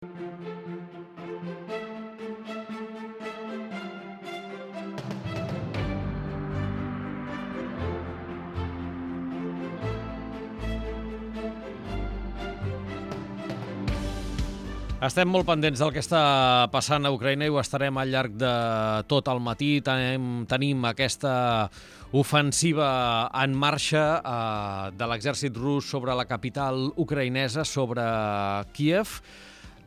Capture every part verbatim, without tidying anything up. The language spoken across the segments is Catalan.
Estem molt pendents del que està passant a Ucraïna i ho estarem al llarg de tot el matí. Tenim, tenim aquesta ofensiva en marxa eh, de l'exèrcit rus sobre la capital ucraïnesa, sobre Kíev.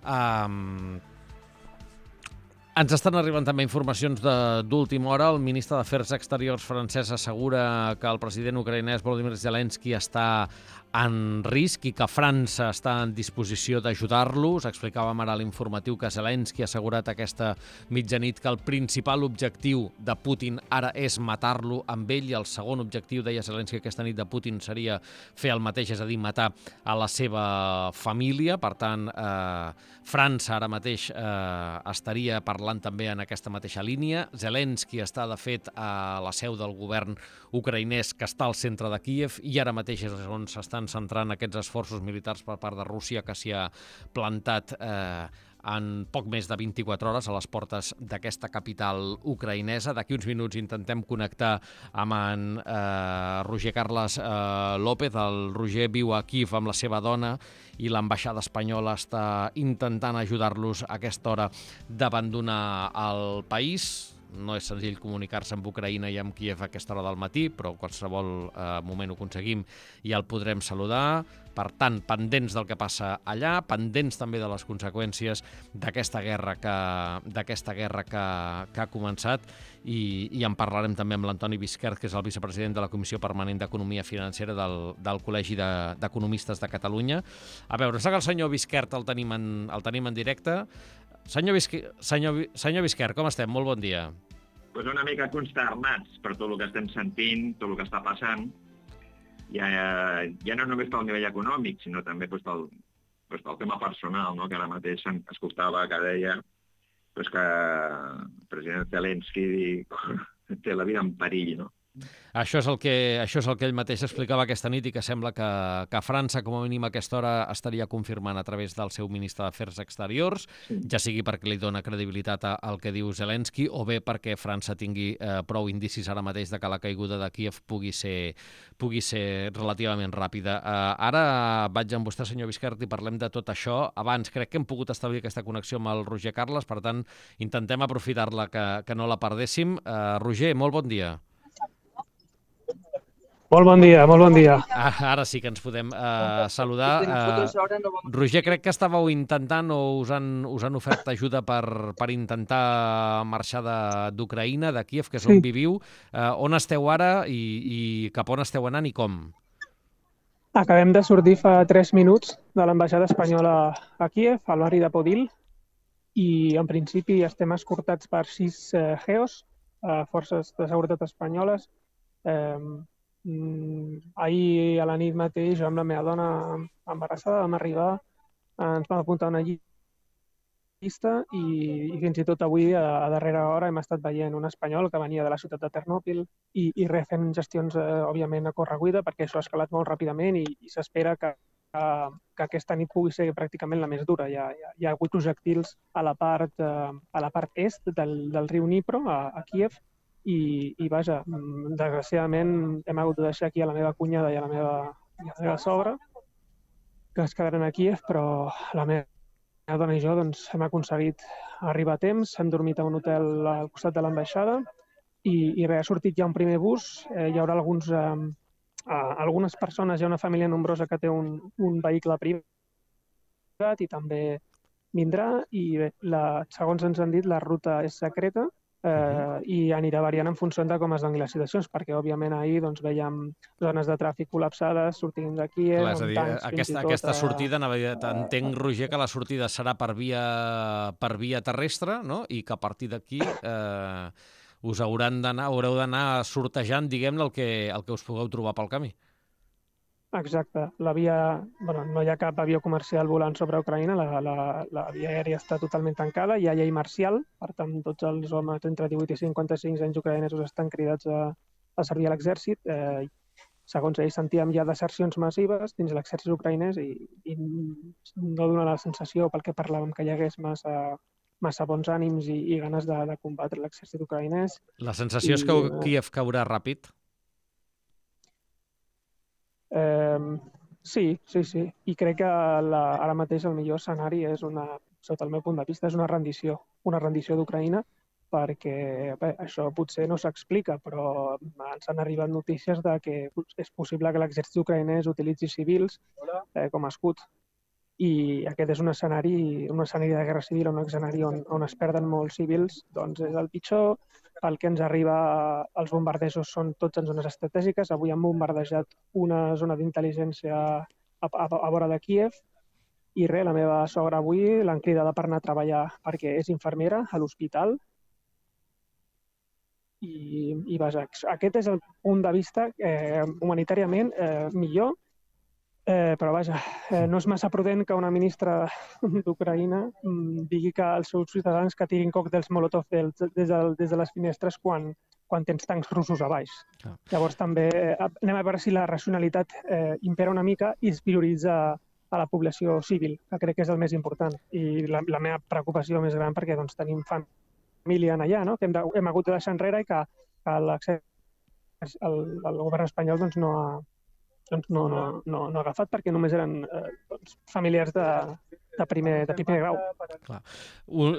Um, Ens estan arribant també informacions d'última hora. El ministre d'Afers Exteriors francès assegura que el president ucraïnès Volodymyr Zelensky està en risc i que França està en disposició d'ajudar-lo. Us explicàvem ara a l'informatiu que Zelensky ha assegurat aquesta mitjanit que el principal objectiu de Putin ara és matar-lo amb ell i el segon objectiu, deia Zelensky aquesta nit, de Putin seria fer el mateix, és a dir, matar a la seva família. Per tant, eh, França ara mateix eh, estaria parlant també en aquesta mateixa línia. Zelensky està, de fet, a la seu del govern ucraïnès que està al centre de Kíev i ara mateix és on s'estan centrant aquests esforços militars per part de Rússia, que s'hi ha plantat eh, en poc més de vint-i-quatre hores a les portes d'aquesta capital ucraïnesa. D'aquí uns minuts intentem connectar amb en eh, Roger Carles eh, López. El Roger viu a Kíev amb la seva dona i l'ambaixada espanyola està intentant ajudar-los a aquesta hora d'abandonar el país. No és senzill comunicar-se amb Ucraïna i amb Kíev a aquesta hora del matí, però en qualsevol eh, moment ho aconseguim i el podrem saludar. Per tant, pendents del que passa allà, pendents també de les conseqüències d'aquesta guerra que, d'aquesta guerra que, que ha començat i, i en parlarem també amb l'Antoni Bisquert, que és el vicepresident de la Comissió Permanent d'Economia Financera del, del Col·legi d'Economistes de, de Catalunya. A veure, sé que el senyor Bisquert el tenim en, el tenim en directe. Senyor, Bisqui, senyor, senyor Bisquert, com estem? Molt bon dia. Pues una mica consternats per tot el que estem sentint, tot el que està passant, ja, ja no només pel nivell econòmic, sinó també pues, pel, pues, pel tema personal, no? Que ara mateix escoltava que deia pues, que el president Zelensky té la vida en perill, no? Això és el que, això és el que ell mateix explicava aquesta nit i que sembla que, que França, com a mínim a aquesta hora, estaria confirmant a través del seu ministre d'Afers Exteriors, sí. Ja sigui perquè li dona credibilitat al que diu Zelensky o bé perquè França tingui eh, prou indicis ara mateix de que la caiguda de Kíev pugui ser, pugui ser relativament ràpida. Eh, ara vaig amb vostè, senyor Bisquert, i parlem de tot això. Abans crec que hem pogut establir aquesta connexió amb el Roger Carles, per tant, intentem aprofitar-la, que, que no la perdéssim. Eh, Roger, molt bon dia. Molt bon dia, molt bon dia. Ah, ara sí que ens podem uh, saludar. Uh, Roger, crec que estàveu intentant o us han, us han ofert ajuda per, per intentar marxar d'Ucraïna, de, de Kíev, que és on sí. viviu. Uh, on esteu ara i, i cap on esteu anant i com? Acabem de sortir fa tres minuts de l'ambaixada espanyola a Kíev, al barri de Podil, i en principi estem escortats per sis uh, geos, uh, forces de seguretat espanyoles. Uh, Ahir a la nit mateix, jo amb la meva dona embarassada, vam arribar, ens vam apuntar una llista i, i fins i tot avui, a, a darrera hora, hem estat veient un espanyol que venia de la ciutat de Ternòpil i, i res, fent gestions, eh, òbviament, a correguida, perquè això ha escalat molt ràpidament i, i s'espera que, que, que aquesta nit pugui ser pràcticament la més dura. Hi ha, hi ha, hi ha hagut projectils a la part, eh, a la part est del, del riu Dnipro, a, a Kíev, I, i vaja, desgraciadament hem hagut de deixar aquí a la meva cunyada i a la meva, i a la meva sogra, que es quedaran a Kíev, però la meva dona i jo doncs, hem aconseguit arribar a temps, hem dormit a un hotel al costat de l'ambaixada i, i res, ha sortit ja un primer bus, eh, hi haurà alguns, eh, algunes persones, hi ha una família nombrosa que té un, un vehicle privat i també vindrà i bé, la, segons ens han dit, la ruta és secreta, Uh, i anirà variant en funció de com es donin les situacions, perquè òbviament ahir doncs, veiem zones de tràfic col·lapsades sortint d'aquí. Eh, Clar, és a dir, aquesta, aquesta sortida, entenc, Roger, que la sortida serà per via, per via terrestre, no? I que a partir d'aquí eh, us hauran d'anar, haureu d'anar sortejant, diguem-ne, el, que, el que us pugueu trobar pel camí. Exacte. La via, bueno, no hi ha cap avió comercial volant sobre Ucraïna, la, la, la via aèria està totalment tancada, hi ha llei marcial, per tant, tots els homes entre divuit i cinquanta-cinc anys ucraïnesos estan cridats a, a servir a l'exèrcit. Eh, segons ells, sentíem ja desercions massives dins l'exèrcit ucraïnès i, i no dona la sensació, pel que parlàvem, que hi hagués massa, massa bons ànims i, i ganes de, de combatre l'exèrcit ucraïnès. La sensació I, és que Kíev caurà ràpid? Eh, sí, sí, sí. I crec que la, ara mateix el millor escenari és una, sota el meu punt de vista, és una rendició, una rendició d'Ucraïna, perquè bé, això potser no s'explica, però ens han arribat notícies de que és possible que l'exèrcit ucraïnès utilitzi civils eh, com a escut. I aquest és un escenari, un escenari de guerra civil, un escenari on, on es perden molts civils, doncs és el pitjor. Pel que ens arriba, els bombardejos són tots en zones estratègiques. Avui han bombardejat una zona d'intel·ligència a, a, a vora de Kíev i res, la meva sogra avui l'han cridada per anar a treballar perquè és infermera a l'hospital. I, i vaja, aquest és el punt de vista eh, humanitàriament eh, millor, eh, però vaja, eh, no és massa prudent que una ministra d'Ucraïna mm, digui que els seus ciutadans que tirin còctels Molotov des, des, de, des de les finestres quan, quan tens tancs russos a baix. Ah. Llavors també eh, anem a veure si la racionalitat eh, impera una mica i es prioritza a la població civil, que crec que és el més important. I la, la meva preocupació més gran perquè doncs, tenim fam família allà, no? Que hem, de, hem hagut de deixar enrere i que, que el, el govern espanyol doncs, no, ha, doncs, no, no, no, no ha agafat perquè només eren eh, doncs, familiars de, de, primer, de primer grau. Clar.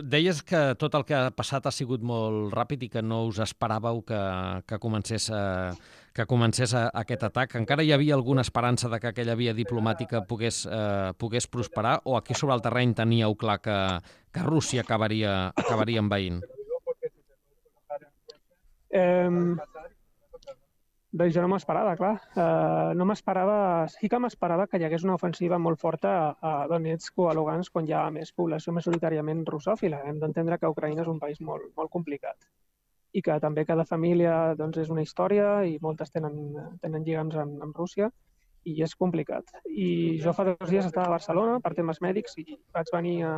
Deies que tot el que ha passat ha sigut molt ràpid i que no us esperàveu que, que comencés, a, que comencés a, aquest atac. Encara hi havia alguna esperança de que aquella via diplomàtica pogués, eh, pogués prosperar o aquí sobre el terreny teníeu clar que, que Rússia acabaria, acabaria envaint? Eh, doncs jo no m'esperava, clar. Eh, no m'esperava... Sí que m'esperava que hi hagués una ofensiva molt forta a, a Donetsk o a Lugansk, on hi ha més població majoritàriament russòfila. Hem d'entendre que Ucraïna és un país molt, molt complicat i que també cada família doncs, és una història i moltes tenen, tenen lligams amb, amb Rússia i és complicat. I jo fa dos dies estava a Barcelona per temes mèdics i vaig venir, a,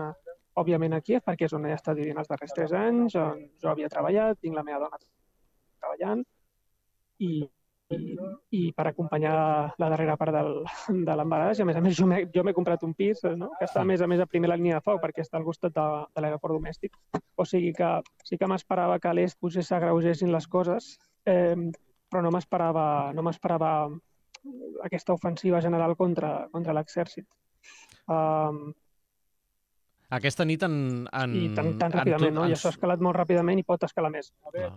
òbviament, a Kíev, perquè és on he estat vivint els darrers tres anys, on jo havia treballat, tinc la meva dona treballant i, i, i per acompanyar la darrera part del, de l'embaràs. I a més a més jo m'he comprat un pis, no? Que està a més a més a primera línia de foc perquè està al costat de, de l'aeroport domèstic. O sigui que sí que m'esperava que a l'est potser s'agreugessin les coses, eh, però no m'esperava no m'esperava aquesta ofensiva general contra, contra l'exèrcit. Um, Aquesta nit en... en I tan, tan ràpidament, en, no? I això ha escalat molt ràpidament i pot escalar més. No.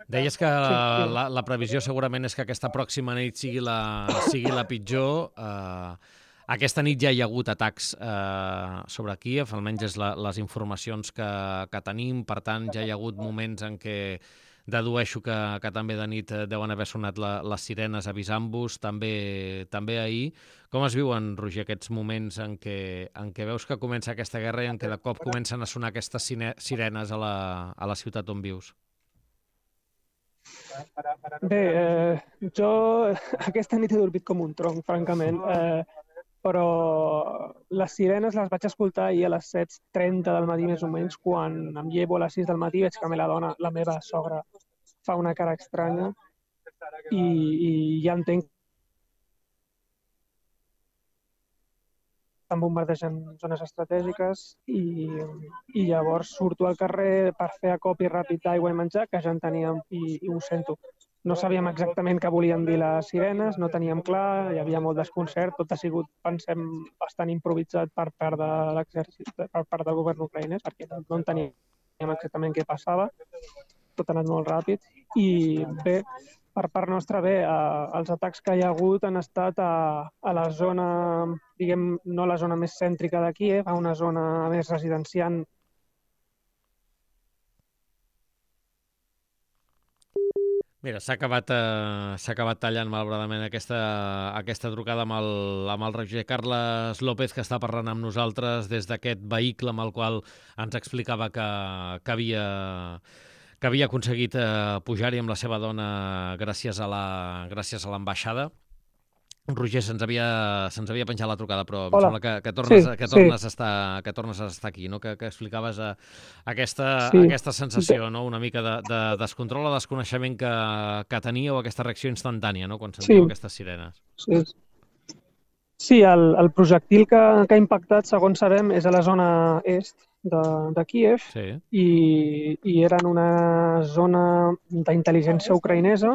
Deies que sí, sí. La, la previsió segurament és que aquesta pròxima nit sigui la, sigui la pitjor. Uh, aquesta nit ja hi ha hagut atacs uh, sobre Kíev, almenys és la, les informacions que, que tenim. Per tant, ja hi ha hagut moments en què dedueixo que, que també de nit deuen haver sonat la, les sirenes avisant-vos, també, també ahir. Com es viuen, Roger, aquests moments en què, en què veus que comença aquesta guerra i en què de cop comencen a sonar aquestes sirenes a la, a la ciutat on vius? Bé, eh, jo aquesta nit he dormit com un tronc, francament, eh, però les sirenes les vaig escoltar ahir a les set trenta del matí més o menys, quan em llevo a les sis del matí veig que la dona, la meva sogra, fa una cara estranya i, i ja entenc estan bombardejant zones estratègiques i, i llavors surto al carrer per fer acopi ràpid d'aigua i menjar, que ja en teníem i, i ho sento. No sabíem exactament què volien dir les sirenes, no teníem clar, hi havia molt desconcert, tot ha sigut, pensem, bastant improvisat per part de l'exèrcit, per part del govern ucraïnès, perquè no enteníem exactament què passava, tot ha anat molt ràpid i bé, per part nostra, bé, eh, els atacs que hi ha hagut han estat a, a la zona, diguem, no la zona més cèntrica de Kíev, a una zona més residenciant. Mira, s'ha acabat, eh, s'ha acabat tallant malauradament aquesta, aquesta trucada amb el, amb el Roger Carles López, que està parlant amb nosaltres des d'aquest vehicle amb el qual ens explicava que, que havia... que havia aconseguit eh, pujar-hi amb la seva dona gràcies a la gràcies a l'ambaixada. Roger, se'ns havia, se'ns havia penjat la trucada, però em Hola. sembla que, que, tornes, Sí, que, sí. tornes a estar, que tornes a estar aquí, no? que, que explicaves eh, aquesta, Sí. aquesta sensació, no? Una mica de, de descontrol o desconeixement que, que teníeu, aquesta reacció instantània, no? Quan sentíeu Sí. aquestes sirenes. Sí, sí el, el projectil que, que ha impactat, segons sabem, és a la zona est de, de Kíev Sí. i, i era en una zona d'intel·ligència ucraïnesa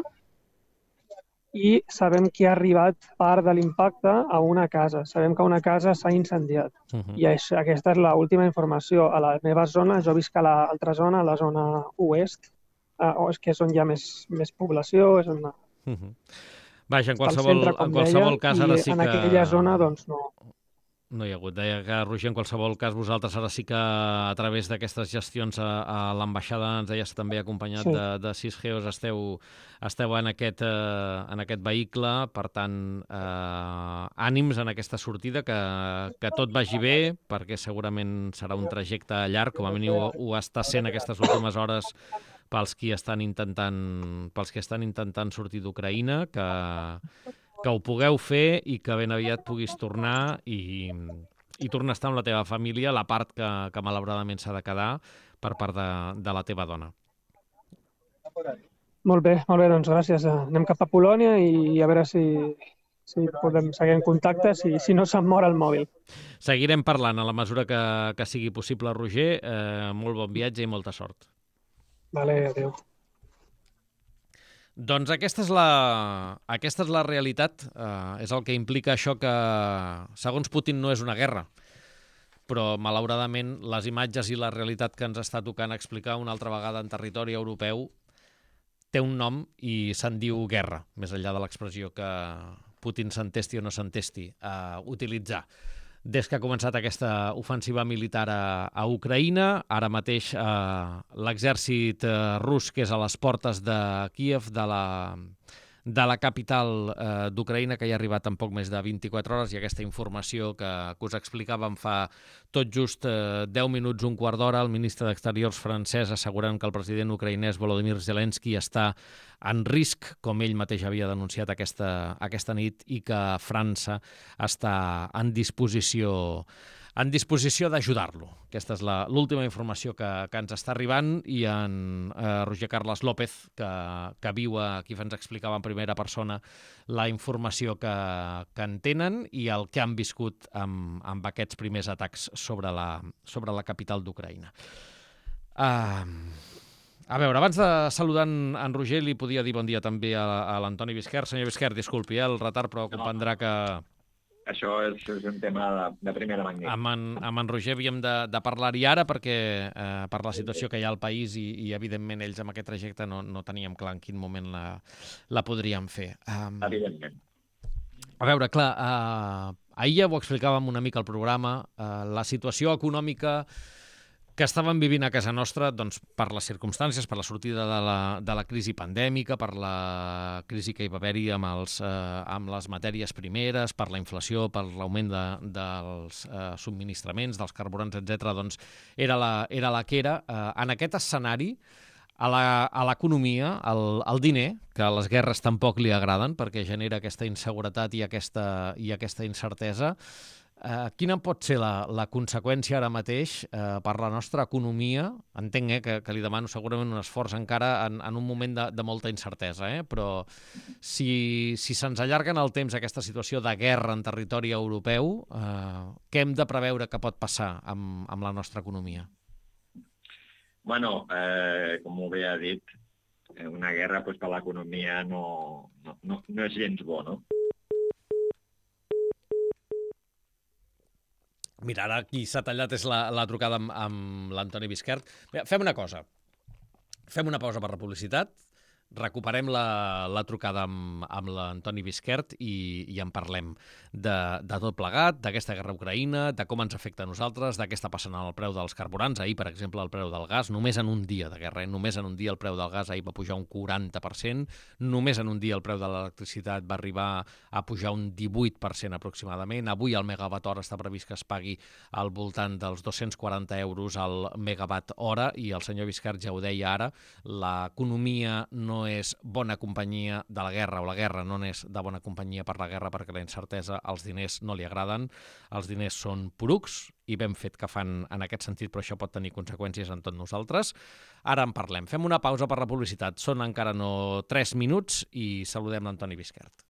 i sabem que ha arribat part de l'impacte a una casa. Sabem que una casa s'ha incendiat. Uh -huh. I això, aquesta és l'última informació. A la meva zona, jo visc a l'altra zona, a la zona oest, eh, que és on hi ha més, més població, és on Uh -huh. Vaja, en està al qualsevol, centre, com en qualsevol deia, cas, i ara sí en que... aquella zona doncs, no, No hi ha hagut. Deia que, Roger, en qualsevol cas, vosaltres ara sí que a través d'aquestes gestions a, a l'ambaixada, ens deies també acompanyat sí. de, de sis geos, esteu, esteu en, aquest, eh, en aquest vehicle. Per tant, eh, ànims en aquesta sortida, que, que tot vagi bé, perquè segurament serà un trajecte llarg, com a mínim ho, ho està sent aquestes últimes hores pels qui estan intentant, pels que estan intentant sortir d'Ucraïna, que que ho pugueu fer i que ben aviat puguis tornar i, i tornar a estar amb la teva família, la part que, que malauradament s'ha de quedar per part de, de la teva dona. Molt bé, molt bé, doncs gràcies. Anem cap a Polònia i a veure si, si podem seguir en contacte, si, si no se'm mor el mòbil. Seguirem parlant a la mesura que, que sigui possible, Roger. Eh, molt bon viatge i molta sort. Vale, adéu. Doncs aquesta és la, aquesta és la realitat, eh, és el que implica això que, segons Putin, no és una guerra, però malauradament les imatges i la realitat que ens està tocant explicar una altra vegada en territori europeu té un nom i se'n diu guerra, més enllà de l'expressió que Putin s'entesti o no s'entesti a utilitzar. Des que ha començat aquesta ofensiva militar a, a Ucraïna, ara mateix eh, l'exèrcit eh, rus, que és a les portes de Kíev, de la, de la capital eh, d'Ucraïna, que hi ha arribat en poc més de vint-i-quatre hores, i aquesta informació que, que us explicàvem fa tot just eh, deu minuts, un quart d'hora, el ministre d'Exteriors francès assegurant que el president ucraïnès Volodymyr Zelensky està en risc, com ell mateix havia denunciat aquesta, aquesta nit, i que França està en disposició en disposició d'ajudar-lo. Aquesta és l'última informació que, que ens està arribant, i en eh, Roger Carles López, que, que viu aquí, ens explicava en primera persona la informació que, que en tenen i el que han viscut amb, amb aquests primers atacs sobre la, sobre la capital d'Ucraïna. Uh, a veure, abans de saludar en, en Roger, li podia dir bon dia també a, a l'Antoni Bisquer. Senyor Bisquer, disculpi eh, el retard, però comprendrà que... Això és, és un tema de, de primera magnitud. Amb en, amb en Roger havíem de, de parlar-hi ara perquè eh, per la situació que hi ha al país i, i evidentment ells amb aquest trajecte no, no teníem clar en quin moment la, la podríem fer. Um, Evidentment. A veure, clar, uh, ahir ja ho explicàvem una mica al programa, uh, la situació econòmica que estàvem vivint a casa nostra, doncs, per les circumstàncies, per la sortida de la, de la crisi pandèmica, per la crisi que hi va haver-hi amb, els, eh, amb les matèries primeres, per la inflació, per l'augment de, dels eh, subministraments, dels carburants, etcètera, doncs era la, era la que era. Eh, en aquest escenari, a l'economia, el, el diner, que a les guerres tampoc li agraden perquè genera aquesta inseguretat i aquesta, i aquesta incertesa, Uh, quina pot ser la, la conseqüència ara mateix uh, per la nostra economia? Entenc eh, que, que li demano segurament un esforç encara en, en un moment de, de molta incertesa, eh? Però si, si se'ns allarga en el temps aquesta situació de guerra en territori europeu, uh, què hem de preveure que pot passar amb, amb la nostra economia? Bueno, eh, com ho bé ha dit, una guerra pues, per l'economia no, no, no, no és gens bo, no? Mira, ara qui s'ha tallat és la, la trucada amb, amb l'Antoni Bisquert. Bé, fem una cosa. Fem una pausa per la publicitat, recuperem la, la trucada amb, amb l'Antoni Bisquert i, i en parlem de, de tot plegat, d'aquesta guerra a Ucraïna, de com ens afecta a nosaltres, de què està passant amb el preu dels carburants. Ahir, per exemple, el preu del gas, només en un dia de guerra, eh? només en un dia el preu del gas ahir va pujar un quaranta per cent, només en un dia el preu de l'electricitat va arribar a pujar un divuit per cent aproximadament. Avui el megawatt hora està previst que es pagui al voltant dels dos-cents quaranta euros al megawatt hora, i el senyor Bisquert ja ho deia ara, l'economia no no és bona companyia de la guerra, o la guerra no és de bona companyia per la guerra, perquè la incertesa als diners no li agraden. Els diners són porucs i ben fet que fan en aquest sentit, però això pot tenir conseqüències en tot nosaltres. Ara en parlem. Fem una pausa per la publicitat. Són encara no tres minuts i saludem l'Antoni Bisquert.